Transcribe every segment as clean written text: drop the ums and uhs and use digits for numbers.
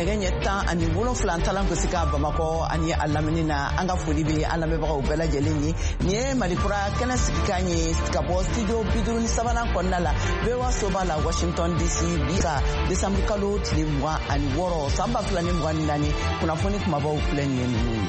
Nɛgɛ ɲɛ 17 talan gosi ka Bamakɔ ani a lamini na. An ka foli bɛ an lamɛnbagaw bɛɛ lajɛlen ye. Nin ye Malikura kɛnɛ sigikan ye ka bɔ studio 53nan kɔnɔna la, VOA soba la, Washington DC. Bi ka desanburu kalo tile 26 san 2024, kunnafoni kumabaw filɛ nin ye ninnu ye.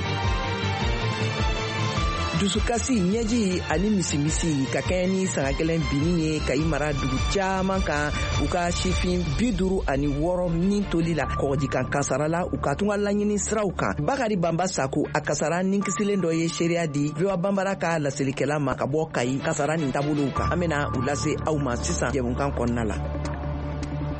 Dusukasi, ɲɛji ani misimisi ka kɛɲɛ ni sanga gɛlɛn binni ye Kayi mara dugu caman kan, u ka sifin 56 ni toli la kɔgɔjikan kasara la u ka tunga laɲini siraw kan. Bakari Banba Sako, a kasara ni kisilen dɔ ye seereya di VOA Banbara ka laselikɛla ma ka bɔ Kayi kasara nin taabolow kan. An bena u lase aw ma sisan jɛmukan kɔnɔna la.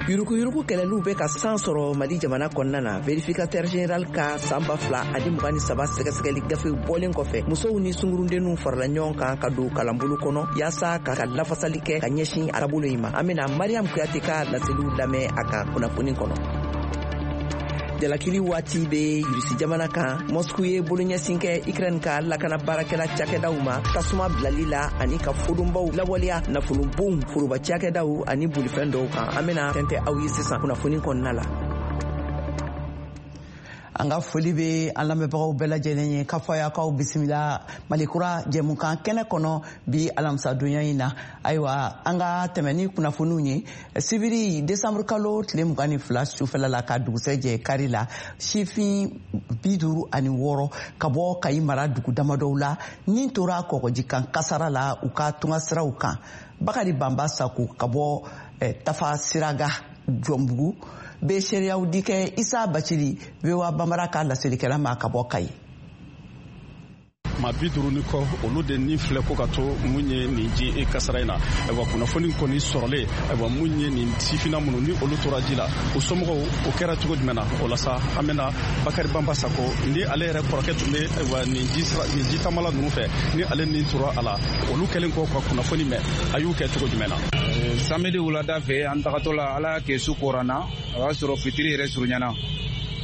Yurukuyuruku kɛlɛliw bɛ ka san sɔrɔ Mali jamana kɔnɔna na. Vérificateur général ka san 2023 sɛgɛsɛgɛli gafe bɔlen kɔfɛ, musow ni sungurundenninw farala ɲɔgɔn kan ka don kalanbolo kɔnɔ yaasa ka lafasali kɛ ka ɲɛsin a taabolo in ma. An bena Mariam Kuyate ka laseliw lamɛn a ka kunnafoni kɔnɔ. Jalakili waati bɛ Irisi jamana kan. Moscou ye boloɲɛsin kɛ Ukraine ka lakana baarakɛla cakɛdaw ma tasuma bilali la ani ka fodonbaw lawaleya nafolobonw, foroba cakɛdaw ani bolifɛn dɔw kan. An bena tɛntɛ aw ye sisan kunnafoni kɔnɔna la. An ka foli bɛ an lamɛnbagaw bɛɛ lajɛlen ye k'a fɔ a y'aw bisimila Malikura jɛmukan kɛnɛ kɔnɔ bi alamisadonya in na. Ayiwa, an ka tɛmɛ ni kunnafoniw ye. Sibiri desanburu kalo tile 22 sufɛla la ka dugusɛ jɛ kari la, sifin 56 ka bɔ Kayi mara dugu damadɔw la ni tora kɔgɔjikan kasara la u ka tunga siraw kan. Bakari Banba Sako ka bɔ Tafa Siraga Jɔnbugu bɛ seereyaw di kɛ Isa Bacili, VOA Banbara ka laselikɛla ma ka bɔ Kayi. Maa 50 ni kɔ, olu de ni filɛ ko ka to mun ye nin ji e kasara in na. Ayiwa, kunnafoni kɔni sɔrɔlen, ayiwa, mun ye nin sifinna minnu ni olu tora ji la, u somɔgɔw, o kɛra cogo jumɛn na? O la sa, an bɛna Bakari Banba Sako ni ale yɛrɛ kɔrɔkɛ tun bɛ, ayiwa, nin ji tamala ninnu fɛ, ni ale ni tora a la, olu kɛlen kɔ ka kunnafoni mɛn, a y'u kɛ cogo jumɛn na? Samedi wulada fɛ, an tagatɔ la, Ala y'a kɛ su kora na, o y'a sɔrɔ fitiri yɛrɛ surunyana.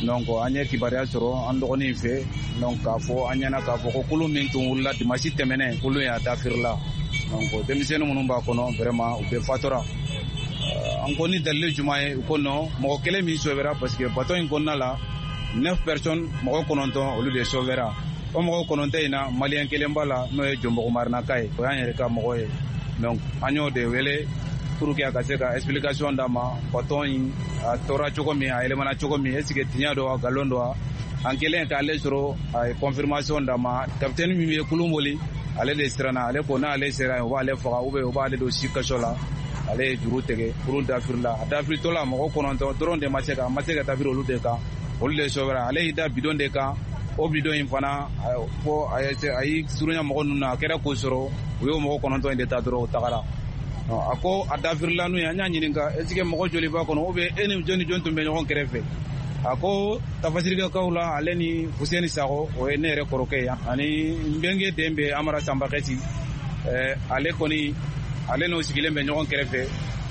Donc an ye kibaruya sɔrɔ an dɔgɔnin fɛ, donc k'a fɔ an ɲɛna k'a fɔ ko kulun min tun wulila dimanche tɛmɛnen, kulun y'a dafirila. Donc denmisɛnnin minnu b'a kɔnɔ, vraiment, u bɛɛ fatura. An ko ni dalilu jumɛn ye? U ko non, mɔgɔ kelen min sauvera, parce que bateau in kɔnɔna la, neuf personnes, mɔgɔ 9, olu de sauvera. O mɔgɔ 9 in na, Malien kelen b'a la, n'o ye Jɔnbugu Marinaka ye, o y'an yɛrɛ ka mɔgɔ ye. Donc an y'o de wele pour que a ka se ka explication d'a ma, bateau in a tora cogo min, a yɛlɛmana cogo min, est ce que tiɲɛ don wa, nkalon don wa? An kɛlen k'ale sɔrɔ, a ye confirmation d'a ma. Capitaine min ye kulun boli, ale de siranna. Ale ko n'ale sera yen, u b'ale faga ou bien u b'ale don si kaso la. Ale ye juru tigɛ, kurun dafirila. A dafiritɔ la, mɔgɔ 9 dɔrɔn de ma se ka, a ma se ka dafiri olu de kan, olu de sauvera. Ale y'i da bidon de kan. O bidon in fana fo a y'i surunya mɔgɔ ninnu na, a kɛra k'o sɔrɔ, u y'o mɔgɔ 9 in de ta dɔrɔn, u tagara. A ko a dafirila n'u ye. An y'a ɲininka, est ce que mɔgɔ joli b'a kɔnɔ ou bien e ni jɔn ni jɔn tun bɛ ɲɔgɔn kɛrɛfɛ? A ko Tafasirikɛkaw la, ale ni Fuseni Sakɔ, o ye ne yɛrɛ kɔrɔkɛ ye, ani n bɛnkɛ den bɛ Amara Sanbakɛsi, ale kɔni, ale n'o sigilen bɛ ɲɔgɔn kɛrɛfɛ.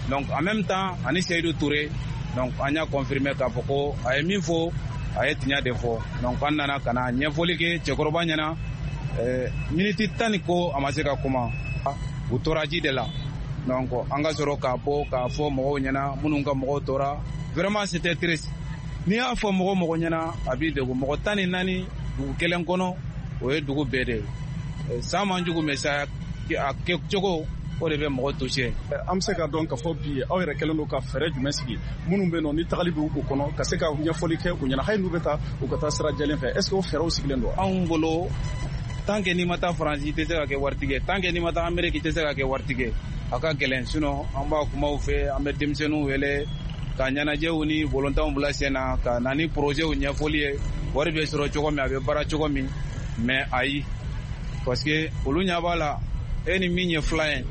Donc en même temps, ani Seyidu Ture. Donc an y'a confirmer k'a fɔ ko a ye min fɔ, a ye tiɲɛ de fɔ. Donc an nana ka na ɲɛfɔli kɛ cɛkɔrɔba ɲɛna. Miniti 10 ni ko, a ma se ka kuma, u tora ji de la. Donc an ka sɔrɔ k'a bɔ k'a fɔ mɔgɔw ɲɛna minnu ka mɔgɔw tora. Vraiment, c'était triste. N'i y'a fɔ mɔgɔ mɔgɔ ɲɛna, a b'i degun. Mɔgɔ 14 dugu kelen kɔnɔ, o ye dugu bɛɛ de ye. San man jugu, mais sa a kɛ cogo, o de bɛ mɔgɔ touché. An bɛ se ka dɔn k'a fɔ bi aw yɛrɛ kɛlen don ka fɛɛrɛ jumɛn sigi, minnu bɛ yen nɔ ni tagali bɛ u kɔnɔ, ka se ka ɲɛfɔli kɛ u ɲɛna, hali n'u bɛ taa, u ka taa sira jɛlen fɛ? Est ce que o fɛɛrɛw sigilen don? Anw bolo, tant que n'i ma taa Faransi, i tɛ se ka kɛ waritigi ye. Tant que n'i ma taa Amérique, i tɛ se ka kɛ waritigi ye. A ka gɛlɛn. Sinon an b'a kumaw fɛ, an bɛ denmisɛnninw wele ka ɲɛnajɛw ni volontanw bila sen na, ka na ni projetw ɲɛfɔli ye, wari bɛ sɔrɔ cogo min, a bɛ baara cogo min. Mais ayi, parce que olu ɲɛ b'a la, e ni min ye filan ye,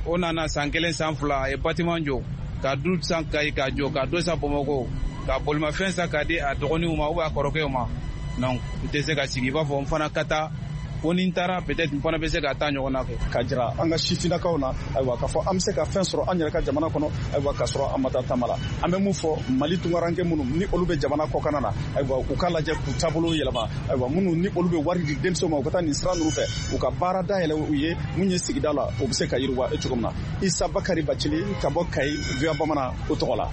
o nana san kelen, san 2, a ye bâtiment jɔ, ka du san Kayi k'a jɔ, ka dɔ san Bamakɔ, ka bolimafɛn san k'a di a dɔgɔninw ma ou bien a kɔrɔkɛw ma. Donc i tɛ se ka sigi i b'a fɔ n fana ka taa fo ni n taara, peut-être n fana bɛ se ka taa ɲɔgɔn na kɛ. Ka jira an ka sifinnakaw na, ayiwa, k'a fɔ an bɛ se ka fɛn sɔrɔ an yɛrɛ ka jamana kɔnɔ, ayiwa, k'a sɔrɔ an ma taa taama la. An bɛ mun fɔ Mali tunkaranke minnu ni olu bɛ jamana kɔkanna na, ayiwa, u k'a lajɛ k'u taabolo yɛlɛma. Ayiwa, minnu ni olu bɛ wari di denmisɛnw ma u ka taa nin sira ninnu fɛ, u ka baara dayɛlɛ u ye mun ye sigida la, o bɛ se ka yiriwa cogo min na. Isa Bakari Bacili ka bɔ Kayi, VOA Bamanan o tɔgɔ la.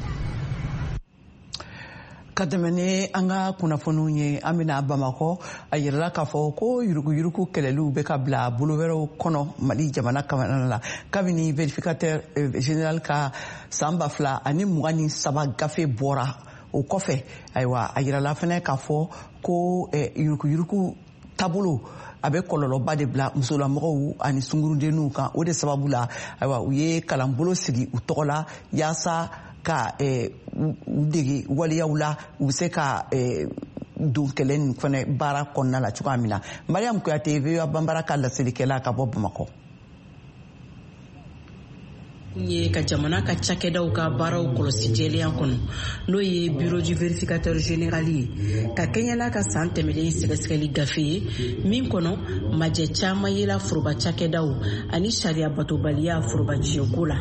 Ka tɛmɛ ni an ka kunnafoniw ye, an bɛna Bamakɔ. A yirala k'a fɔ ko yuruguyurugu kɛlɛliw bɛ ka bila bolo wɛrɛw kɔnɔ Mali jamana kamana la, kabini vérificateur général ka san 2023 gafe bɔra. O kɔfɛ, ayiwa, a yirala fɛnɛ k'a fɔ ko yuruguyurugu taabolo a bɛ kɔlɔlɔba de bila musolamɔgɔw ani sungurudenninw kan. O de sababu la, ayiwa, u ye kalanbolo sigi u tɔgɔ la yaasa ka u dege waleyaw la, u bɛ se ka don kɛlɛ nin fɛnɛ baara kɔnɔna la cogoya min na. Mariam Kuyate, VOA Banbara ka laselikɛla ka bɔ Bamakɔ. Ye ka jamana ka cakɛdaw ka baaraw kɔlɔsi jɛlenya kɔnɔ, n'o ye Bureau du vérificateur général ye, ka kɛɲɛ n'a ka san tɛmɛlen sɛgɛsɛgɛli gafe ye, min kɔnɔ majɛ caman yela foroba cakɛdaw ani sariya batobaliya foroba tiɲɛko la,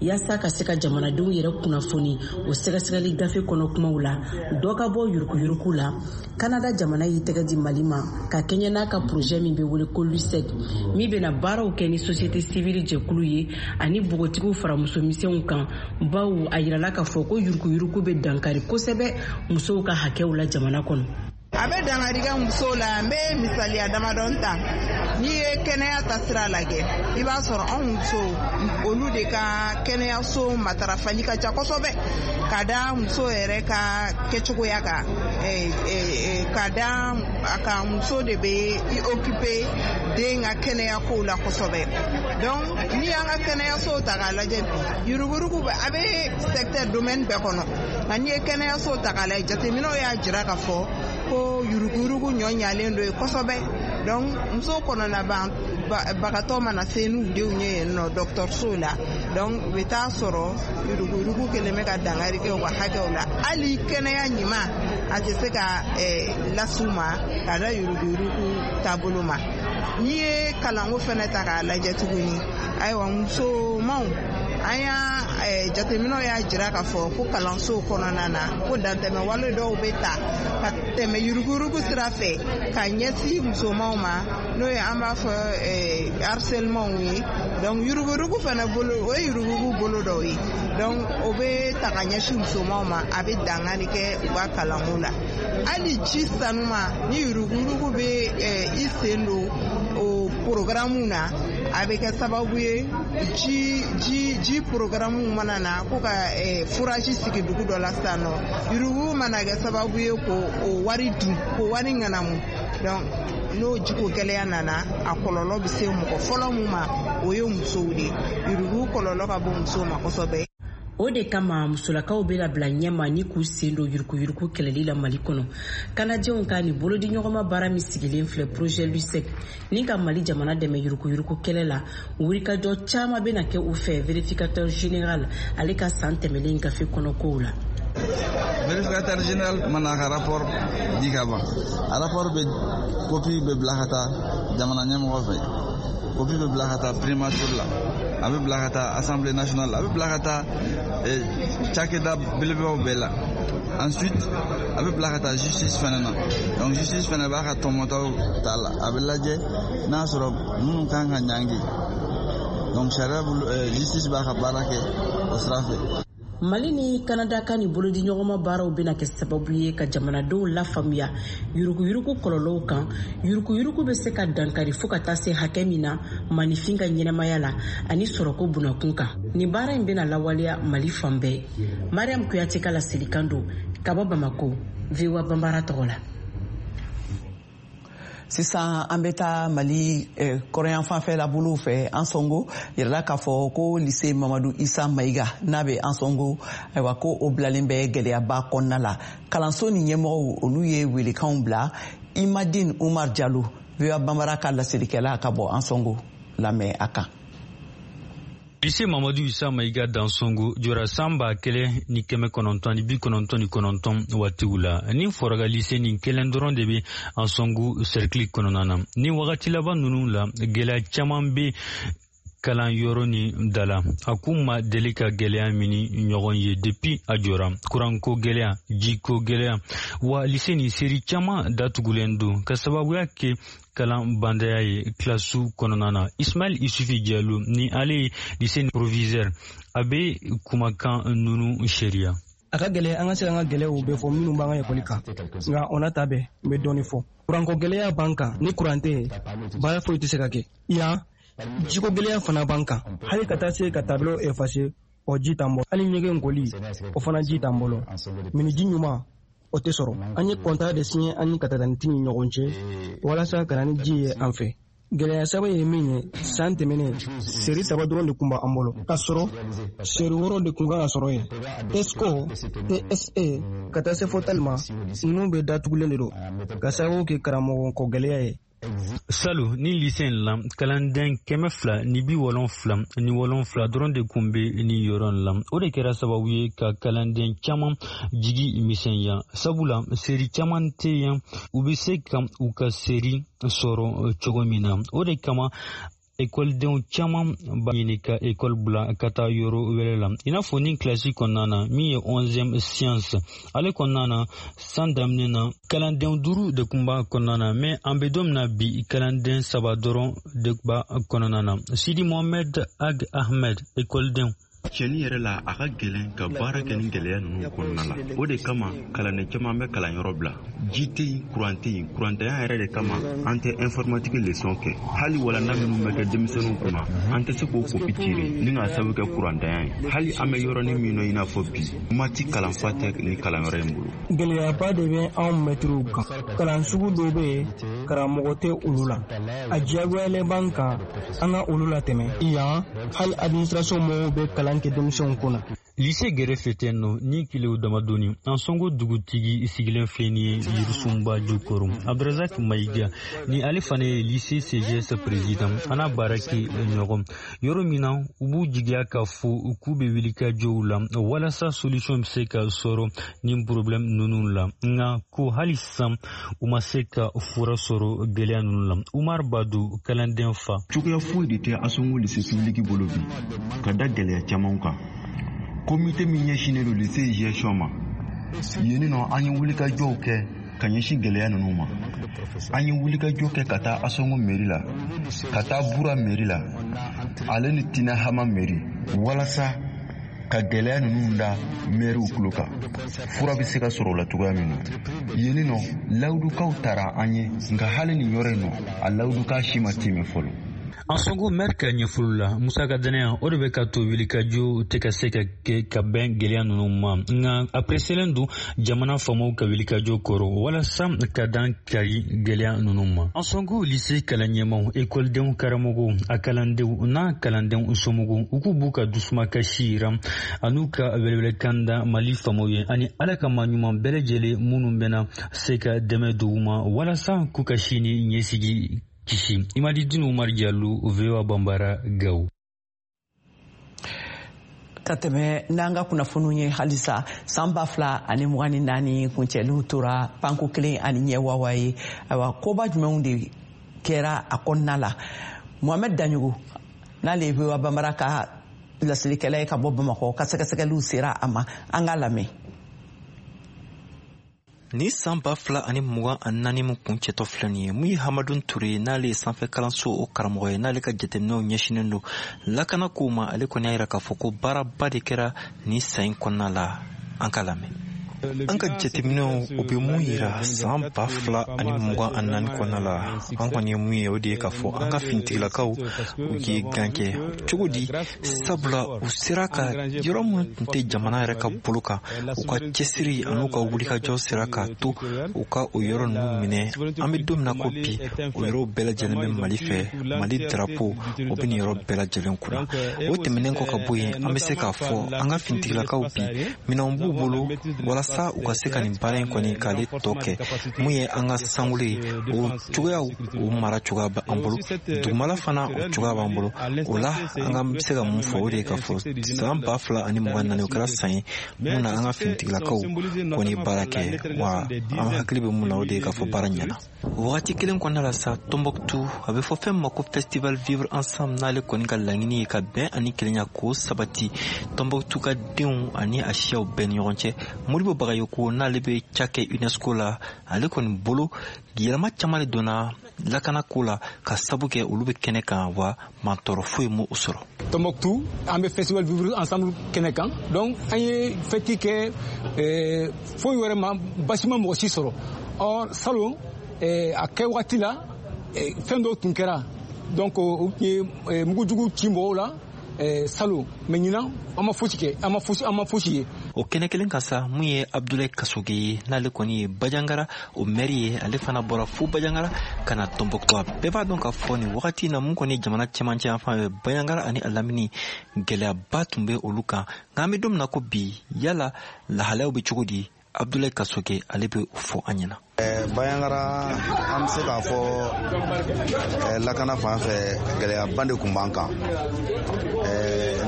yaasa ka se ka jamanadenw yɛrɛ kunnafoni o sɛgɛsɛgɛli gafe kɔnɔ kumaw la, dɔ ka bɔ yurukuyuruku la. Kanada jamana y'i tɛgɛ di Mali ma ka kɛɲɛ n'a ka projet min bɛ wele ko LUSEC, min bɛna baaraw kɛ ni société civile jɛkulu ye ani npogotigiw fara musomisɛnw kan, bawo a yirala k'a fɔ ko yurukuyuruku bɛ dankari kosɛbɛ musow ka hakɛw la jamana kɔnɔ. A bɛ dankari kɛ musow la. N bɛ misaliya damadɔ ta. N'i ye kɛnɛya ta sira lajɛ, i b'a sɔrɔ anw musow, olu de ka kɛnɛyaso matarafali ka ca kosɛbɛ, ka da muso yɛrɛ ka kɛcogoya kan, ka da a kan muso de bɛ i occuper den ka kɛnɛya kow la kosɛbɛ. Donc n'i y'an ka kɛnɛyasow ta k'a lajɛ bi, yuruguyurugu bɛ, a bɛ secteur domaine bɛɛ kɔnɔ, nka n'i ye kɛnɛyasow ta k'a lajɛ, jateminɛw y'a jira k'a fɔ ko yuruguyurugu ɲɔ ɲalen don yen kosɛbɛ. Donc muso kɔnɔna bagatɔ mana se n'u denw ye yen nɔ dɔgɔtɔrɔso la, donc u bɛ taa sɔrɔ yuruguyurugu kɛlen bɛ ka dankari kɛ u ka hakɛw la. Hali kɛnɛya ɲuman a tɛ se ka las'u ma ka da yuruguyurugu taabolo ma. N'i ye kalanko fɛnɛ ta k'a lajɛ tuguni, ayiwa, musomanw, an y'a jateminɛw y'a jira k'a fɔ ko kalansow kɔnɔna na, ko dantɛmɛ wale dɔw bɛ ta ka tɛmɛ yuruguyurugu sira fɛ ka ɲɛsin musomanw ma, n'o ye an b'a fɔ harcèlement ye. Donc yuruguyurugu fɛnɛ bolo, o ye yuruguyurugu bolo dɔw ye. Donc o bɛ ta ka ɲɛsin musomanw ma, a bɛ dankari kɛ u ka kalanko la. Hali ji sanuma, ni yuruguyurugu bɛ i sen don o programme na, a bɛ kɛ sababu ye ji programme mana na ko ka forage sigi dugu dɔ la sisan nɔ, yuruguyurugu mana kɛ sababu ye k'o o wari dun, k'o wari ŋanamu. Donc n'o jiko gɛlɛya nana, a kɔlɔlɔ bɛ se mɔgɔ fɔlɔ mun ma, o ye musow de ye. Yuruguyurugu kɔlɔlɔ ka bon musow ma kosɛbɛ. O de kama musolakaw bɛna bila ɲɛma ni k'u sen don yurukuyuruku kɛlɛli la Mali kɔnɔ. Kanajɛw ka nin bolodiɲɔgɔnma baara min sigilen filɛ, projet LUSEC, ni ka Mali jamana dɛmɛ yurukuyuruku kɛlɛ la, wulikajɔ caman bɛna kɛ u fɛ vérificateur général ale ka san tɛmɛlen gafe kɔnɔ kow la. Vérificateur général mana ka rapport di ka ban, a rapport bɛ copie bɛ bila ka taa jamana ɲɛmɔgɔ fɛ, copie bɛ bila ka taa primature la, a bɛ bila ka taa Assemblée nationale la, a bɛ bila ka taa cakɛda belebelebaw bɛɛ la. Ensuite a bɛ bila ka taa justice fɛnɛ na. Donc justice fɛnɛ b'a ka tɔmɔtaw ta la, a bɛ lajɛ n'a sɔrɔ minnu kan ka ɲangi. Donc sariya bolo, justice b'a ka baara kɛ o sira fɛ. Mali ni Kanada ka nin bolodiɲɔgɔnma baaraw bɛna kɛ sababu ye ka jamanadenw lafaamuya yurukuyuruku kɔlɔlɔw kan, yurukuyuruku bɛ se ka dankari fo ka taa se hakɛ min na maninfin ka ɲɛnamaya la ani sɔrɔko bunakun kan. Nin baara in bɛna lawaleya Mali fan bɛɛ. Mariam Kuyate ka laselikan don ka bɔ Bamako, VOA Banbara tɔgɔ la. Sisan an bɛ taa Mali kɔrɔnyanfanfɛla bolow fɛ, Ansɔngo. Yirala k'a fɔ ko lycée Mamadu Isa Mayiga n'a bɛ Ansɔngo, ayiwa, ko o bilalen bɛ gɛlɛyaba kɔnɔna la. Kalanso ni ɲɛmɔgɔw, olu ye welekanw bila. Imadine Umar Jalo, VOA Banbara ka laselikɛla ka bɔ Ansɔngo, lamɛn a kan. Lycée Mamadu Isa Mayiga d'Ansongo jɔra san 1999 waatiw la. Ni fɔraga lycée nin kelen dɔrɔn de bɛ Ansongo cercle kɔnɔna na. Ni wagati laban ninnu la, gɛlɛya caman bɛ kalan yɔrɔ ni da la, a k'u ma deli ka gɛlɛya min ɲɔgɔn ye depuis a jɔra: kuranko gɛlɛya, jiko gɛlɛya. Wa lycée nin seri caman datugulen don ka sababuya kɛ kalan bandaya ye kilasiw kɔnɔna na. Ismail Isufi Jalo ni ale ye lycée proviseur, a bɛ kumakan ninnu seeriya. A ka gɛlɛn an ka se an ka gɛlɛyaw bɛɛ fɔ minnu b'an ka ekɔli kan, nka o n'a ta bɛɛ, n bɛ dɔɔnin fɔ. Kuranko gɛlɛya b'an kan. Ni kuran tɛ yen, baara foyi tɛ se ka kɛ yan. Jiko gɛlɛya fana b'an kan, hali ka taa se ka tableau effacer, o ji t'an bolo. Hali ɲɛgɛn koli, o fana ji t'an bolo. Miniji ɲuman, o tɛ sɔrɔ. An ye contrat de signé an ni Katataniti ni ɲɔgɔn cɛ walasa ka na ni ji ye an fɛ. Gɛlɛya saba ye min ye, san tɛmɛnen, série 3 dɔrɔn de tun b'an bolo, k'a sɔrɔ série 6 de tun kan ka sɔrɔ yen. TESCO, TSE ka taa se fo TAL ma, ninnu bɛɛ datugulen de don ka sababu kɛ karamɔgɔ ko gɛlɛya ye. Salon ni lycée in la, kalanden 277 dɔrɔn de kun bɛ nin yɔrɔ in la. O de kɛra sababu ye ka kalanden caman jigi misɛnya, sabula série caman tɛ yan u bɛ se ka u ka série sɔrɔ cogo min na. O de kama ekɔlidenw caman b'a ɲini ka ekɔli bila ka taa yɔrɔ wɛrɛ la, i n'a fɔ ni kilasi kɔnɔna na min ye 11e science. Ale kɔnɔna na, san daminɛ na, kalandenw 5 de kun b'a kɔnɔna na, mais an bɛ don min na bi, kalanden 3 dɔrɔn de b'a kɔnɔna na. Sidi Mohamed Ag Ahmed, ekɔlidenw. Tiɲɛni yɛrɛ la, a ka gɛlɛn ka baara kɛ ni gɛlɛya ninnu kɔnɔna la. O de kama kalanden caman bɛ kalanyɔrɔ bila. Ji tɛ yen, kuran tɛ yen. Kurantanya yɛrɛ de kama an tɛ informatique leçon kɛ. Hali walanda minnu bɛ kɛ denmisɛnninw kunna, an tɛ se k'o kopi tirer ni k'a sababu kɛ kurantanya ye. Hali an bɛ yɔrɔnin min na, i n'a fɔ bi, maths kalanfa tɛ ni kalanyɔrɔ in bolo. Gɛlɛyaba de bɛ anw mɛtiriw kan. Kalan sugu dɔw bɛ yen, karamɔgɔ tɛ olu la. A diyagoyalen b'an kan an ka olu latɛmɛ yan. Hali administration mɔgɔw bɛ kalan kɛ denmisɛnw kunna. Lycée gɛrɛfɛ tɛ nɔ ni kilew damadɔni, Ansongo dugutigi sigilen filɛ nin ye yirisunba jukɔrɔ, Abdrazak Mayiga. Ni ale fana ye lycée CGS président, a n'a baara kɛ ɲɔgɔn yɔrɔ min na, u b'u jigiya k'a fɔ k'u bɛ wuli ka jɔw la walasa solution bɛ se ka sɔrɔ nin problème ninnu la. Nka ko hali sisan u ma se ka fura sɔrɔ gɛlɛya ninnu la. Umar Badu, kalanden fa. Cogoya foyi de tɛ Ansongo lycée public bolo bi, ka da gɛlɛya caman kan. Komite min ɲɛsinnen don lycée gestion ma yen nɔ, an ye wulikajɔw kɛ ka ɲɛsin gɛlɛya ninnu ma. An ye wulikajɔ kɛ ka taa Asongo mairie la, ka taa Bura mairie la, ale ni Tina Hama mairie, walasa ka gɛlɛya ninnu da maires tulo kan, fura bɛ se ka sɔrɔ o la cogoya min na. Yen nɔ, lawudukaw taara an ye, nka hali nin yɔrɔ in nɔ, a lawuduka si ma timɛ fɔlɔ. Ansongo maire ka ɲɛfɔli la, musaka dɛnɛya, o de bɛ ka to wulikajɔ tɛ ka se ka kɛ ka bɛn gɛlɛya ninnu ma. Nka a preselen don jamana faamaw ka wulikajɔ kɔrɔ walasa ka dan kari gɛlɛya ninnu ma. Ansongo lycée kalan ɲɛmaw, ekɔlidenw, karamɔgɔw, a kalandenw n'a kalandenw somɔgɔw, u k'u b'u ka dusumakasi yira an'u ka welewelekan da Mali faamaw ye ani Ala ka maa ɲuman bɛɛ lajɛlen minnu bɛna se ka dɛmɛ don u ma walasa k'u ka sini ɲɛsigi kisi. Imadi Dinu Umar Diallo, VOA Bambara, Gao. Ka tɛmɛ n'an ka kunnafoniw ye halisa, san 2024 kuncɛliw tora panko kelen ani ɲɛ wawa ye. Ayiwa, koba jumɛnw de kɛra a kɔnɔna la? Mohamɛd Daɲogo, n'ale ye VOA Bambara ka laselikɛla ye ka bɔ Bamakɔ, ka sɛgɛsɛgɛliw sera a ma. An k'a lamɛn. Ni san 2024 min kuncɛtɔ filɛ nin ye, mun ye Hamadun Ture, n'ale ye sanfɛ kalanso o karamɔgɔ ye, n'ale ka jateminɛw ɲɛsinnen don lakana kow ma, ale kɔni y'a yira k'a fɔ ko baaraba de kɛra nin san in kɔnɔna la. An ka lamɛn. An ka jateminɛw, o bɛ mun yira san 2024 kɔnɔna la? An kɔni ye mun ye, o de ye k'a fɔ an ka finitigilakaw, u ye gan kɛ. Cogo di? Sabula u sera ka yɔrɔ minnu tun tɛ jamana yɛrɛ ka bolo kan, u ka cɛsiri an'u ka wulikajɔ sera k'a to u ka o yɔrɔ ninnu minɛ. An bɛ don min na ko bi, o yɔrɔw bɛɛ lajɛlen bɛ Mali fɛ. Mali drapeau, o bɛ nin yɔrɔ bɛɛ lajɛlen kunna. O tɛmɛnen kɔ ka bɔ yen, an bɛ se k'a fɔ an ka finitigilakaw bi, minɛnw b'u bolo walasa u ka se ka nin baara in kɔni k'ale tɔ kɛ. Mun ye an ka sankolo ye, o cogoyaw, o mara cogoya bɛ an bolo. Dugumala fana, o cogoya b'an bolo. O la, an ka bɛ se ka mun fɔ, o de ye k'a fɔ san 2024, o kɛra san ye mun na an ka finitigilakaw kɔni baara kɛ. Wa an hakili bɛ mun na, o de ye k'a fɔ baara ɲɛna. Wagati kelen kɔnɔna la sa, Tombouctou, a bɛ fɔ fɛn ma ko festival Vivre Ensemble, n'ale kɔni ka laɲini ye ka bɛn ani kelenya k'o sabati Tombouctou ka denw ani a siyaw bɛɛ ni ɲɔgɔn cɛ. Modibo Bagayoko, n'ale bɛ ca kɛ UNESCO la, ale kɔni bolo yɛlɛma caman de donna lakana ko la ka sabu kɛ olu bɛ kɛnɛ kan, wa mantɔɔrɔ foyi m'o sɔrɔ. Tombouctou, an bɛ festival Vivre Ensemble kɛnɛ kan, donc an ye fête kɛ, foyi wɛrɛ ma basi ma mɔgɔ si sɔrɔ. Or salon, a kɛ wagati la, fɛn dɔw tun kɛra, donc u tun ye mugujugu ci mɔgɔw la salon, mais ɲinan an ma fosi kɛ, an ma fosi ye. O kɛnɛ kelen kan sa, mun ye Abdoulaye Kasoge ye, n'ale kɔni ye Bandiagara o mɛri ye, ale fana bɔra fo Bandiagara ka na Tombouctou. A bɛɛ b'a dɔn k'a fɔ nin wagati in na, mun kɔni ye jamana cɛmancɛ yan fan fɛ, Bandiagara ani a lamini, gɛlɛyaba tun bɛ olu kan. Nka an bɛ don min na ko bi, yala lahalayaw bɛ cogo di? Abdoulaye Kasoge, ale bɛ o fɔ an ɲɛna. Bandiagara, an bɛ se k'a fɔ lakana fan fɛ, gɛlɛyaba de tun b'an kan.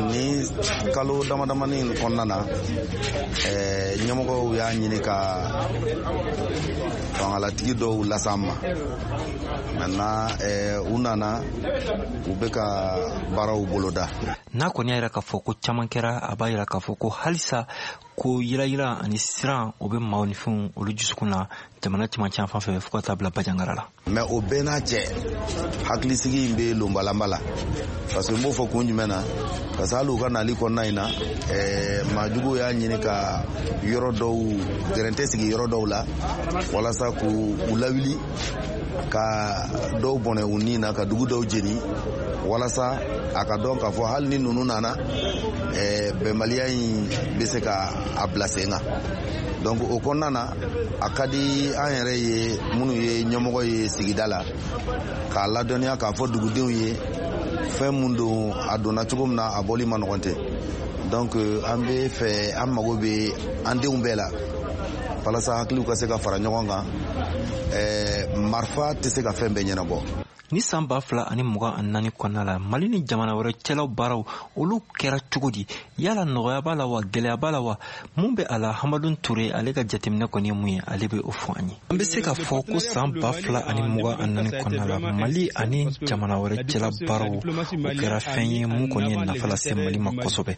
Ni kalo dama damani in kɔnɔna na, ɲɛmɔgɔw y'a ɲini ka fangalatigi dɔw las'an ma. Maintenant, u nana, u bɛ ka baaraw boloda. N'a kɔni y'a yira k'a fɔ ko caman kɛra, a b'a yira k'a fɔ ko halisa ko yirayira ani siran o bɛ maaw ni fɛnw olu dusukun na jamana cɛmancɛ yan fan fɛ, fo ka taa bila Bandiagara la. Mais o bɛɛ n'a cɛ, hakilisigi in bɛ lonbalanba la, parce que n b'o fɔ kun jumɛn na, parce que hali u ka nali kɔnɔna in na, maajuguw y'a ɲini ka yɔrɔ dɔw gɛrɛntɛ sigi yɔrɔ dɔw la walasa k'u lawuli, ka dɔw bɔnɛ u ni na, ka dugu dɔw jeni, walasa a ka dɔn k'a fɔ hali ni ninnu nana, bɛnbaliya in bɛ se ka a bila sen kan. Donc o kɔnɔna na, a ka di an yɛrɛ ye minnu ye ɲɛmɔgɔ ye sigida la, k'a ladɔnniya k'a fɔ dugudenw ye fɛn mun don, a donna cogo min na, a bɔli ma nɔgɔn tɛ. Donc an bɛ fɛ, an mago bɛ an denw bɛɛ la walasa hakiliw ka se ka fara ɲɔgɔn kan. Marifa tɛ se ka fɛn bɛɛ ɲɛnabɔ. Ni san 2024 kɔnɔna la, Mali ni jamana wɛrɛ cɛlaw baaraw olu kɛra cogo di? Yala nɔgɔya b'a la wa, gɛlɛya b'a la wa, mun bɛ a la? Hamadun Ture, ale ka jateminɛ kɔni ye mun ye, ale bɛ o fɔ an ye. An bɛ se k'a fɔ ko san 2024 kɔnɔna la, Mali ani jamana wɛrɛ cɛla baaraw o kɛra fɛn ye mun kɔni ye nafa lase Mali ma kosɛbɛ,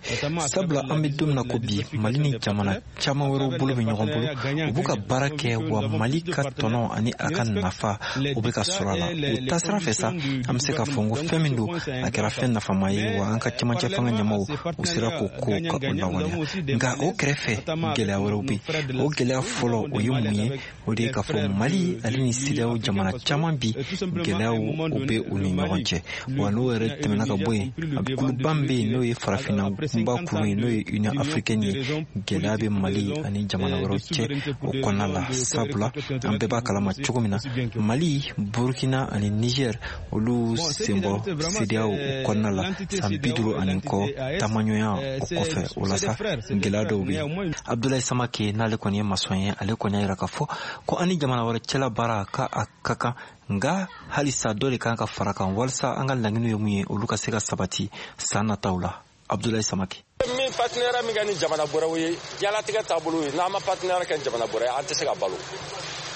sabula an bɛ don min na ko bi, Mali ni jamana caman wɛrɛw bolo bɛ ɲɔgɔn bolo, u b'u ka baara kɛ, wa Mali ka tɔnɔ ani a ka nafa o bɛ ka sɔrɔ a la. O taasira fɛ sa, an bɛ se k'a fɔ ko fɛn min don, a kɛra fɛn nafama ye, wa an ka cɛmancɛ fanga ɲɛmaw u sera k'o ko ka o lawaleya. Nka o kɛrɛfɛ, gɛlɛya wɛrɛw bɛ yen. O gɛlɛya fɔlɔ o ye mun ye? O de ye k'a fɔ Mali ale ni CEDEAO jamana caman bi, gɛlɛyaw o bɛ u ni ɲɔgɔn cɛ. Wa n'o yɛrɛ tɛmɛna ka bɔ yen, a kuluba min bɛ yen, n'o ye farafinna kunba kulu ye, n'o ye Union africaine ye, gɛlɛya bɛ Mali ani jamana wɛrɛw cɛ o kɔnɔna la, sabula an bɛɛ b'a kalama cogo min na, Mali, Burkina ani Niger olu senbɔ CEDEAO o kɔnɔna la san 50 ani kɔ taamaɲɔgɔnya o kɔfɛ. O la sa, gɛlɛya dɔw bɛ yen. Abdoulaye Samake, n'ale kɔni ye masɔn ye, ale kɔni y'a yira k'a fɔ ko an ni jamana wɛrɛ cɛla baara ka a ka kan, nka halisa dɔ de kan ka fara kan walasa an ka laɲiniw ye mun ye, olu ka se ka sabati san nataw la. Abdoulaye Samake. Min partenariat min kɛ ni jamana wɛrɛw ye, diɲɛlatigɛ taabolo ye, n'an ma partenariat kɛ ni jamana wɛrɛ ye, an tɛ se ka balo.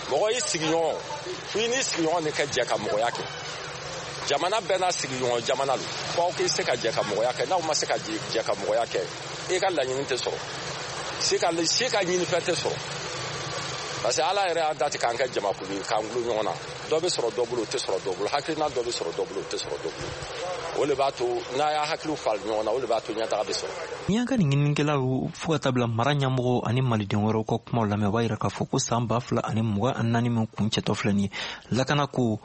Mɔgɔ y'i sigiɲɔgɔn, fo i n'i sigiɲɔgɔn de ka jɛ ka mɔgɔya kɛ. Jamana bɛɛ n'a sigiɲɔgɔn jamana don, fo aw k'i se ka jɛ ka mɔgɔya kɛ. N'aw ma se ka jɛ ka mɔgɔya kɛ, i ka laɲini tɛ sɔrɔ, si ka ɲinifɛn tɛ sɔrɔ, parce que Ala yɛrɛ y'a dati k'an kɛ jamakulu ye, k'an gulo ɲɔgɔn na. Dɔ bɛ sɔrɔ dɔ bolo, o tɛ sɔrɔ dɔ bolo. Hakilina dɔ bɛ sɔrɔ dɔ bolo, o tɛ sɔrɔ dɔ bolo. O de b'a to n'a y'a hakiliw fali ɲɔgɔn na, o de b'a to ɲɛtaga bɛ sɔrɔ. Ni y'an ka nin ɲininikɛlaw fo ka taa bila mara ɲɛmɔgɔw ani maliden wɛrɛw ka kumaw lamɛn, o b'a yira k'a fɔ ko san 2024 min kuncɛtɔ filɛ nin ye, lakana ko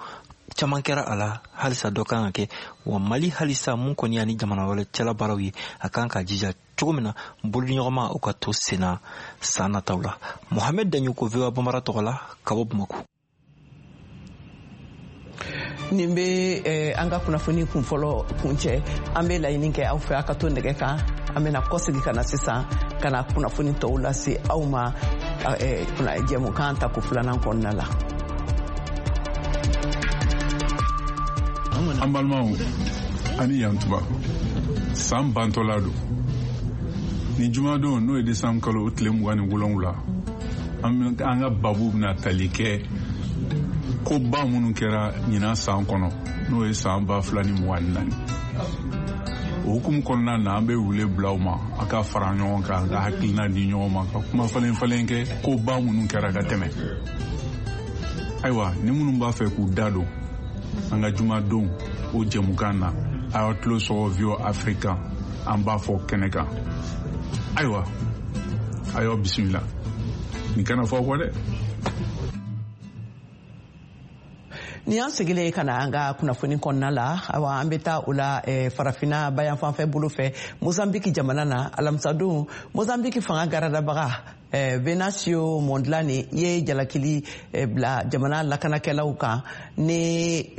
caman kɛra a la, halisa dɔ kan ka kɛ. Wa Mali halisa mun kɔni y'a ni jamana wɛrɛ cɛla baaraw ye, a kan ka jija cogo min na bolodiɲɔgɔnma o ka to senna san nataw la. Mohamed Daɲoko, VOA Bambara tɔgɔ la, ka bɔ Bamako. Nin bɛ an ka kunnafoni kun fɔlɔ kuncɛ. An bɛ laɲini kɛ aw fɛ, aw ka to nɛgɛ kan. An bɛna kɔsegin ka na sisan ka na kunnafoni tɔw lase aw ma jɛmukan tako filanan kɔnɔna la. An balimaw, ani yantuba, san bantɔla don. Ni jumadon, n'o ye desanburu kalo o tile 27, an ka babu bɛna tali kɛ koba minnu kɛra ɲinan san kɔnɔ, n'o ye san 2024. O hukumu kɔnɔna na, an bɛ wele bila aw ma, a ka fara ɲɔgɔn kan, ka hakilina di ɲɔgɔn ma, ka kuma falen falen kɛ koba minnu kɛra ka tɛmɛ. Ayiwa, ni minnu b'a fɛ k'u da don an ka jumadon o jɛmukan na, a y'aw tulo sɔgɔ VOA Africa, an b'a fɔ kɛnɛ kan. Ayiwa, a y'aw bisimila, nin kana fɔ aw kɔ dɛ. Ni an segilen ka na an ka kunnafoni kɔnɔna la, awa, an bɛ taa o la Farafinna bayanfanfɛ bolo fɛ, Mozambiki jamana na. Alamisadon, Mozambiki fanga garadabaga Venancio Mondlane ye jalakili bila jamana lakanakɛlaw kan ni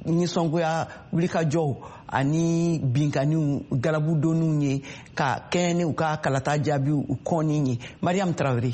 nisɔngoya wulikajɔw ani binkanniw galabudonniw ye ka kɛɲɛ ni u ka kalata jaabiw u kɔnni ye. Mariam Traoré.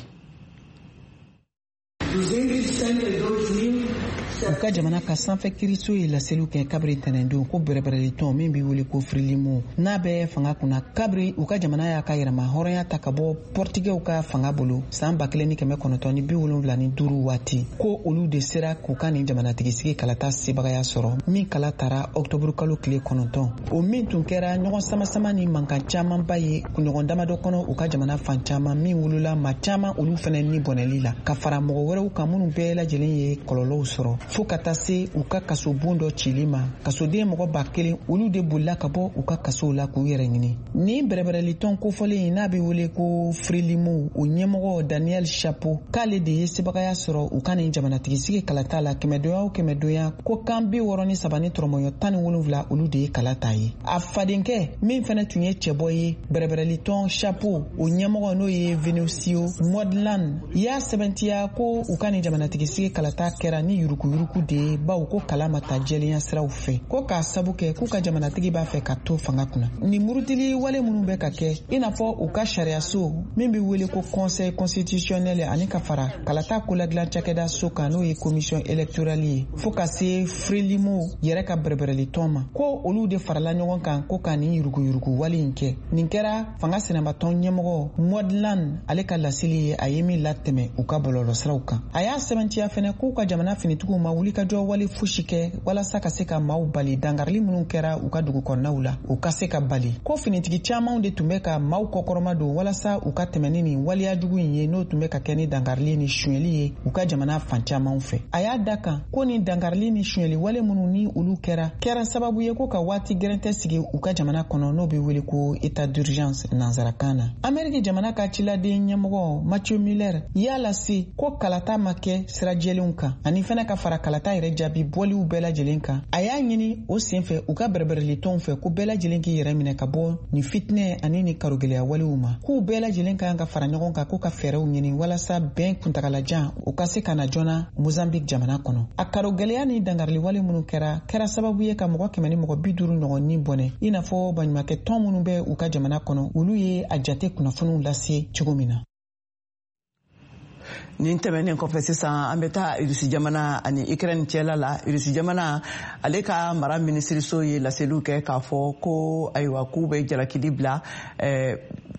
U ka jamana ka sanfɛ kiriso ye laseliw kɛ kabiri tɛnɛndon ko bɛrɛbɛrɛlitɔn min bɛ wele ko Frelimo, n'a bɛ fanga kunna kabiri u ka jamana y'a ka yɛrɛma hɔrɔnya ta ka bɔ Pɔrtigɛw ka fanga bolo san 1975 waati, ko olu de sera k'u ka nin jamanatigisigi kalata sebagaya sɔrɔ, min kala tara ɔktɔburu kalo tile 9, o min tun kɛra ɲɔgɔn samasama ni mankan camanba ye kunɲɔgɔn damadɔ kɔnɔ u ka jamana fan caman, min wolola maa caman olu fɛnɛ ni bɔnɛli la, ka fara mɔgɔ wɛrɛw kan minnu bɛɛ lajɛlen ye kɔlɔlɔw sɔrɔ, fo ka taa se u ka kasobon dɔ cili ma. Kasoden mɔgɔ 1000, olu de bolila ka bɔ u ka kasow la k'u yɛrɛ ɲini. Nin bɛrɛbɛrɛlitɔn kofɔlen, n'a bɛ wele ko Frelimo, o ɲɛmɔgɔ Daniel Chapo, k'ale de ye sebagaya sɔrɔ u ka nin jamanatigisigi kalata la kɛmɛdonya o kɛmɛdonya, ko kan 63 ni tɔrɔmɔɲɔ 17, olu de ye kala ta ye. A fadenkɛ min fɛnɛ tun ye cɛbɔ ye, bɛrɛbɛrɛlitɔn Chapo o ɲɛmɔgɔ, n'o ye Venancio Mondlane, y'a sɛbɛntiya ko u ka nin jamanatigisigi kalata kɛra ni yurukuyuruku de ye, bawo ko kala ma ta jɛlenya siraw fɛ, ko k'a sabu kɛ k'u ka jamanatigi b'a fɛ ka to fanga kunna. Nin murutili wale minnu bɛ ka kɛ, i n'a fɔ u ka sariyaso min bɛ wele ko Conseil constitutionnel, ani ka fara kalata koladilan cakɛda so kan, n'o ye commission électorale ye, fo ka se Frelimo yɛrɛ ka bɛrɛbɛrɛlitɔn ma, ko olu de farala ɲɔgɔn kan ko ka nin yuruguyurugu wale in kɛ. Nin kɛra fanga sinamatɔn ɲɛmɔgɔ Mondlane ale ka laseli ye, a ye min latɛmɛ u ka bɔlɔlɔsiraw kan. A y'a sɛbɛntiya fɛnɛ k'u ka jamana finitigiw ma wulikajɔ wale fosi kɛ walasa ka se ka maaw bali dankarili minnu kɛra u ka dugu kɔnɔnaw la, u ka se ka bali, ko finitigi camanw de tun bɛ ka maaw kɔkɔrɔma don walasa u ka tɛmɛ ni nin waleya jugu in ye, n'o tun bɛ ka kɛ ni dankarili ni sonyɛli ye u ka jamana fan camanw fɛ. A y'a da kan ko nin dankarili ni sonyɛli wale minnu ni olu kɛra sababu ye ko ka waati gɛrɛntɛ sigi u ka jamana kɔnɔ, n'o bɛ wele ko état d'urgence nansarakan na. Ameriki jamana ka ciladen ɲɛmɔgɔ Matthew Miller y'a lase ko kalata ma kɛ sira jɛlenw kan, ani fɛnɛ ka fara kalata yɛrɛ jaabi bɔliw bɛɛ lajɛlen kan. A y'a ɲini o senfɛ u ka bɛrɛbɛrɛlitɔnw fɛ ko bɛɛ lajɛlen k'i yɛrɛ minɛ ka bɔ nin fitinɛ ani nin karogɛlɛya walew ma, k'u bɛɛ lajɛlen ka kan ka fara ɲɔgɔn kan ko ka fɛɛrɛw ɲini walasa bɛn kuntagalajan o ka se ka na joona Mozambique jamana kɔnɔ. A karogɛlɛya ni dankarili wale minnu kɛra sababu ye ka mɔgɔ 150 ɲɔgɔn ni bɔnɛ, i n'a fɔ baɲumankɛ tɔn minnu bɛ u ka jamana kɔnɔ, olu ye a jate kunnafoniw lase cogo min na. Nin tɛmɛnen kɔfɛ, sisan an bɛ taa Irisi jamana ani Ukraine cɛla la. Irisi jamana ale ka mara minisiriso ye laseliw kɛ k'a fɔ ko ayiwa, k'u bɛ jalakili bila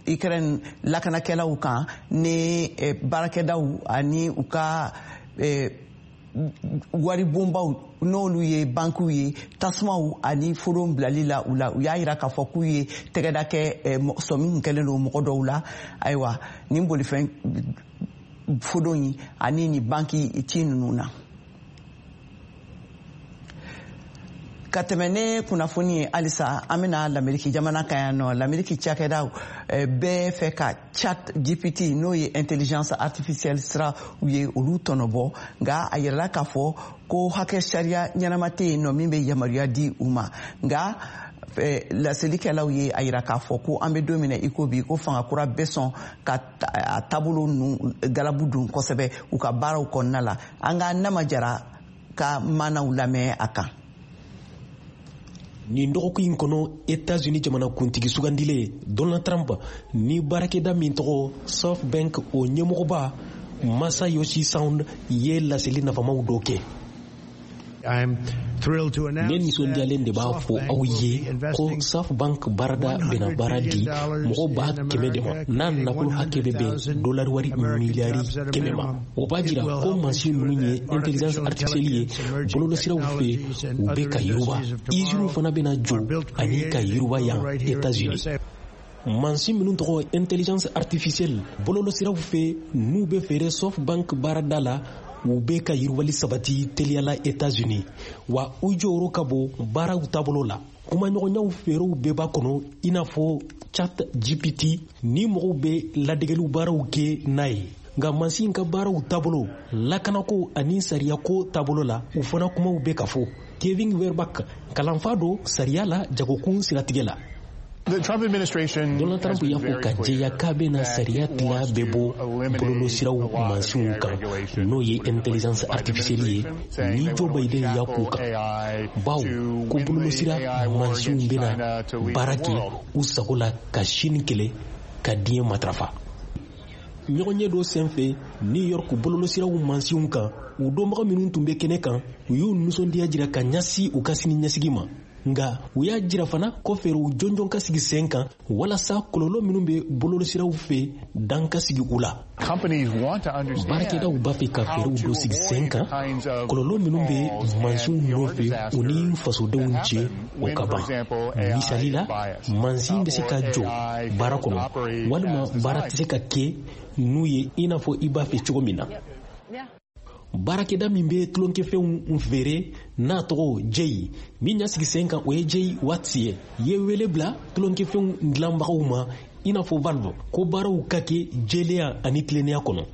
Ukraine lakanakɛlaw kan ni baarakɛdaw ani u ka waribonbaw, n'olu ye bankiw ye, tasumaw ani foron bilali la u la. U y'a yira k'a fɔ k'u ye tɛgɛda kɛ sɔmi kun kɛlen don mɔgɔ dɔw la, ayiwa, nin bolifɛn fodon yi ani nin banki ci ninnu na. Ka tɛmɛ ne kunnafoni ye, halisa an bɛna Lameriki jamana kan yan nɔ. Lameriki cakɛdaw bɛɛ fɛ ka Chat GPT, n'o ye intelligence artificielle sira u ye, olu tɔnɔbɔ, nka a yirala k'a fɔ ko hakɛ sariya ɲɛnama tɛ yen nɔ min bɛ yamaruya di u ma. Nka laselikɛlaw ye a yira k'a fɔ ko an bɛ don min na i ko bi, ko fanga kura bɛ sɔn ka a taabolo ninnu galabu don kosɛbɛ u ka baaraw kɔnɔna la. An ka Nama Jara ka maanaw lamɛn a kan. Nin dɔgɔkun in kɔnɔ, Etats-Unis jamanakuntigi sugandilen Donald Trump ni baarakɛda min tɔgɔ SoftBank, o ɲɛmɔgɔba Masayoshi Son ye laseli nafamaw dɔ kɛ. I'm Ne nisɔndiyalen de b'a fɔ aw ye ko SoftBank baarada bɛna baara di mɔgɔ 100,000 de ma, n'a nafolo hakɛ bɛ bɛn dolari wari miliyari 100 ma. O b'a jira ko mansin minnu ye intelligence artificielle ye bɔlɔlɔsiraw fɛ, u bɛ ka yiriwa. Iziniw fana bɛna jɔ ani ka yiriwa yan États-Unis. Mansin minnu tɔgɔ intelligence artificielle bɔlɔlɔsiraw fɛ, n'u bɛ feere SoftBank baarada la, u bɛ ka yiriwali sabati teliyala États-Unis, wa u jɔyɔrɔ ka bon baaraw taabolo la. Kumaɲɔgɔnyaw feerew bɛɛ b'a kɔnɔ, i n'a fɔ Chat GPT ni mɔgɔw bɛ ladegeliw baaraw kɛ n'a ye. Nka mansin ka baaraw taabolo, lakanako ani sariyako taabolo la, u fana kumaw bɛ ka fɔ. Kevin Werbach, kalanfa don sariya la jagokun siratigɛ la. Donald Trump y'a fɔ ka jɛya k'a bɛna sariya tila bɛɛ bɔ bɔlɔlɔsiraw mansinw kan, n'o ye intelligence artificielle ye, ni Joe Biden y'a k'u kan, bawo ko bɔlɔlɔsira mansinw bɛna baara kɛ u sago la ka Chine kɛlɛ ka diɲɛ matarafa. Ɲɔgɔnye dɔ senfɛ New York bɔlɔlɔsiraw mansinw kan, u dɔnbaga minnu tun bɛ kɛnɛ kan, u y'u nisɔndiya jira ka ɲɛsin u ka sini ɲɛsigi ma. Nka u y'a jira fana ko fɛɛrɛw jɔnjɔn ka sigi sen kan walasa kɔlɔlɔ minnu bɛ bɔlɔlɔsiraw fɛ, dan ka sigi u la. Baarakɛdaw b'a fɛ ka fɛɛrɛw dɔ sigi sen kan, kɔlɔlɔ minnu bɛ mansinw nɔfɛ u ni fasodenw cɛ, o ka ban. Misali la, mansin bɛ se ka jɔ baara kɔnɔ, walima baara tɛ se ka kɛ n'u ye i n'a fɔ i b'a fɛ cogo min na. Baarakɛda min bɛ tulonkɛfɛnw feere n'a tɔgɔ Jay, min y'a sigi sen kan, o ye Jay Watts ye, ye wele bila tulonkɛfɛnw dilanbagaw ma, i n'a fɔ Valve, ko baaraw ka kɛ jɛlenya ani tilennenya kɔnɔ.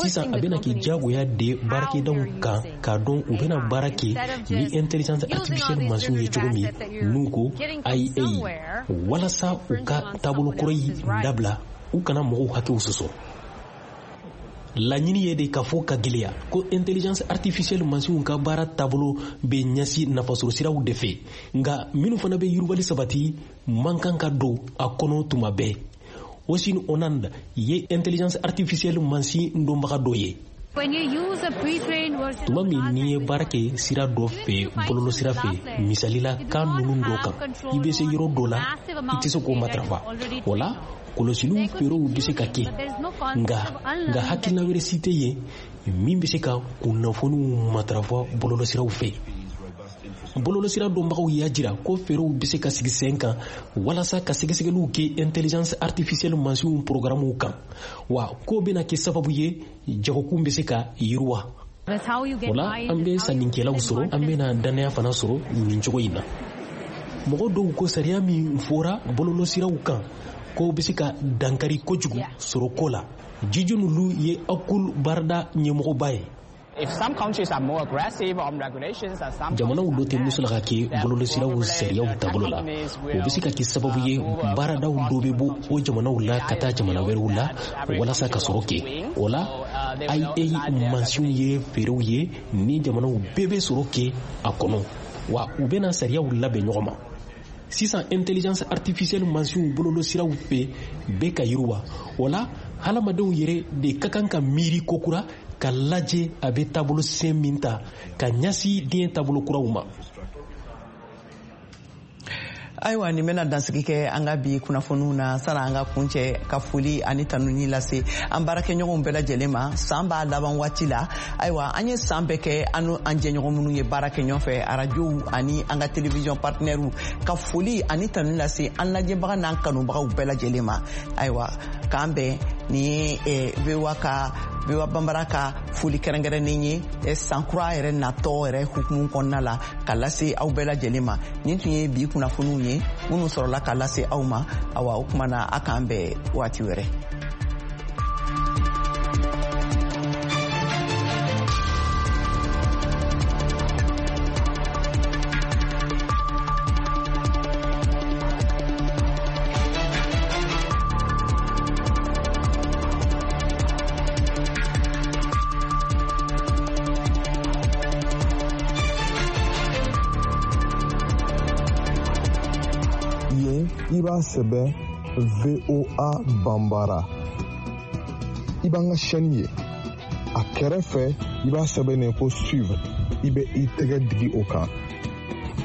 Sisan a bɛna kɛ diyagoya de baarakɛdaw kan k'a dɔn u bɛna baara kɛ ni intelligence artificielle mansinw ye cogo min, n'u ko IA, walasa u ka taabolo kɔrɔ in dabila, u kana mɔgɔw hakɛw sɔsɔ. Laɲini ye de k'a fɔ ka gɛlɛya ko intelligence artificielle mansinw ka baara taabolo bɛ ɲɛsin nafasɔrɔ siraw de fɛ, nka minnu fana bɛ yiriwali sabati man kan ka don a kɔnɔ tuma bɛɛ. Osin Onand ye intelligence artificielle mansin dɔnbaga dɔ ye. Tuma min n'i ye baara kɛ sira dɔ fɛ bɔlɔlɔsira fɛ, misali la kan ninnu dɔ kan, i bɛ se yɔrɔ dɔ la, i tɛ se k'o matarafa. O la, kɔlɔsiliw feerew bɛ se ka kɛ, nka hakilina wɛrɛ si tɛ yen min bɛ se ka kunnafoniw matarafa bɔlɔlɔsiraw fɛ. Bɔlɔlɔsira dɔnbagaw y'a jira ko feerew bɛ se ka sigi sen kan walasa ka sɛgɛsɛgɛliw kɛ intelligence artificielle mansinw programmew kan, wa k'o bɛna kɛ sababu ye jagokun bɛ se ka yiriwa. O la, an bɛ sannikɛlaw sɔrɔ, an bɛna dannaya fana sɔrɔ nin cogo in na. Mɔgɔ dɔw ko sariya min fɔra bɔlɔlɔsiraw kan, ko bɛ se ka dankari kojugu sɔrɔ ko la. Jiju Lu ye Akul baarada ɲɛmɔgɔba ye. Jamanaw dɔ tɛ muso la ka kɛ bɔlɔlɔsiraw sariyaw taabolo la, o bɛ se ka kɛ sababu ye baaradaw dɔ bɛ bɔ o jamanaw la ka taa jamana wɛrɛw la walasa ka sɔrɔ kɛ. O la, IA mansinw ye feerew ye ni jamanaw bɛɛ bɛ sɔrɔ kɛ a kɔnɔ, wa u bɛna sariyaw labɛn ɲɔgɔn ma. Sisan intelligence artificielle mansinw bɔlɔlɔsiraw fɛ bɛ ka yiriwa. O la, hadamadenw yɛrɛ de ka kan ka miiri kokura ka lajɛ a bɛ taabolo sen min ta ka ɲɛsin diɲɛ taabolo kuraw ma. Ayiwa, nin bɛna dansigi kɛ an ka bi kunnafoniw na. Sani an ka kuncɛ, ka foli ani tanuni lase an baarakɛɲɔgɔnw bɛɛ lajɛlen ma. San b'a laban waati la. Ayiwa, an ye san bɛɛ kɛ an n'u an jɛɲɔgɔn minnu ye baara kɛ ɲɔgɔn fɛ, arajow ani an ka télévision partenaires, ka foli ani tanuni lase an lajɛbaga n'an kanubagaw bɛɛ lajɛlen ma. Ayiwa, k'an bɛn. Nin ye VOA ka, VOA Banbara ka foli kɛrɛnkɛrɛnnen ye san kura yɛrɛ natɔ yɛrɛ hukumu kɔnɔna la, ka lase aw bɛɛ lajɛlen ma. Nin tun ye bi kunnafoniw ye minnu sɔrɔla ka lase aw ma. Awa, o kuma na, a k'an bɛn waati wɛrɛ. Yen, i b'a sɛbɛn VOA Banbara, i b'an ka chaîne ye. A kɛrɛfɛ, i b'a sɛbɛnnen ko suivre. I bɛ i tɛgɛ digi o kan.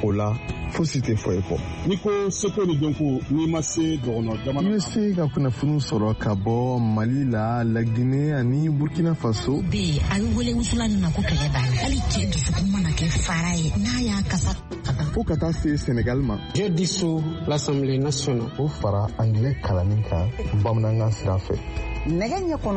O la, fosi tɛ fɔ i kɔ. N'i ko seko ni dɔnko, n'i ma se dɔgɔnɔ jamana. I bɛ se ka kunnafoniw sɔrɔ ka bɔ Mali la, Lagine ani Burkina Faso. Bɛ yen, a bɛ wele wusulan min ma ko kɛlɛ b'a la, hali cɛ dusukun mana kɛ fara ye, n'a y'a kasa. Fo ka taa se Senegal ma. Je dissous l'Assemblée nationale. O fara angilɛ kalanni kan bamanankan sira fɛ. Nɛgɛ ɲɛ kɔnɔ.